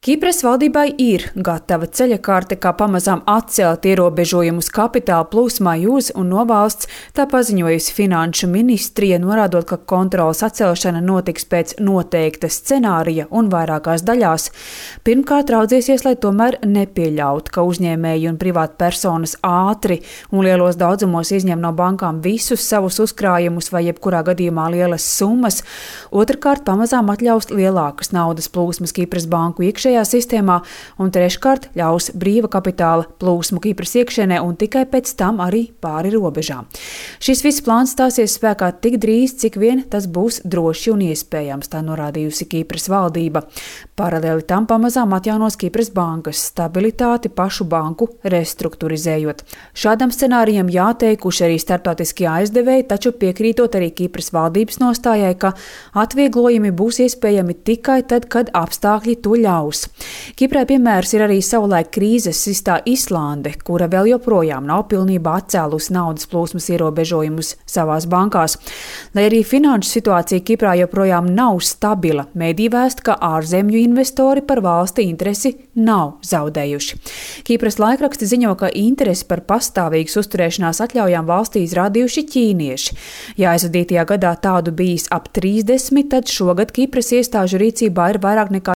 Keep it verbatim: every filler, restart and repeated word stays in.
Kipras valdībai ir gatava ceļakārte, kā pamazām atcelt ierobežojumus kapitāla plūsmai uz un no valsts, tā paziņojusi Finanšu ministrija, norādot, ka kontroles atcelšana notiks pēc noteikta scenārija un vairākās daļās. Pirmkārt, raudzēsies, lai tomēr nepieļautu, ka uzņēmēji un privātpersonas ātri un lielos daudzumos izņem no bankām visus savus uzkrājumus vai jebkurā gadījumā lielas summas. Otrkārt, pamazām atļaus lielākas naudas plūsmas Kipras banku iekšējā sistēmā, un treškārt ļaus brīva kapitāla plūsmu Kipras iekšienē un tikai pēc tam arī pāri robežām. Šis viss plāns stāsies spēkā tik drīz, cik vien tas būs droši un iespējams, tā norādījusi Kipras valdība. Paralēli tam pamazām atjaunos Kipras bankas stabilitāti pašu banku restruktūrizējot. Šādam scenārijam jāteikuši arī starptautiskie aizdevēji, taču piekrītot arī Kipras valdības nostājai, ka atvieglojumi būs iespējami tikai tad, kad apstākļi to ļaus. Kiprai piemērs ir arī savulaik krīzes sistā Islande, kura vēl joprojām nav pilnībā atcēlusi naudas plūsmas ierobežojumus savās bankās. Lai arī finanšu situācija Kiprā joprojām nav stabila, mēdī vēst, ka ārzemju investori par valsti interesi nav zaudējuši. Kipras laikraksti ziņo, ka interesi par pastāvīgas uzturēšanās atļaujām valstī izrādījuši ķīnieši. Ja aizvadītajā gadā tādu bijis ap trīsdesmit, tad šogad Kipras iestāžu rīcībā ir vairāk nekā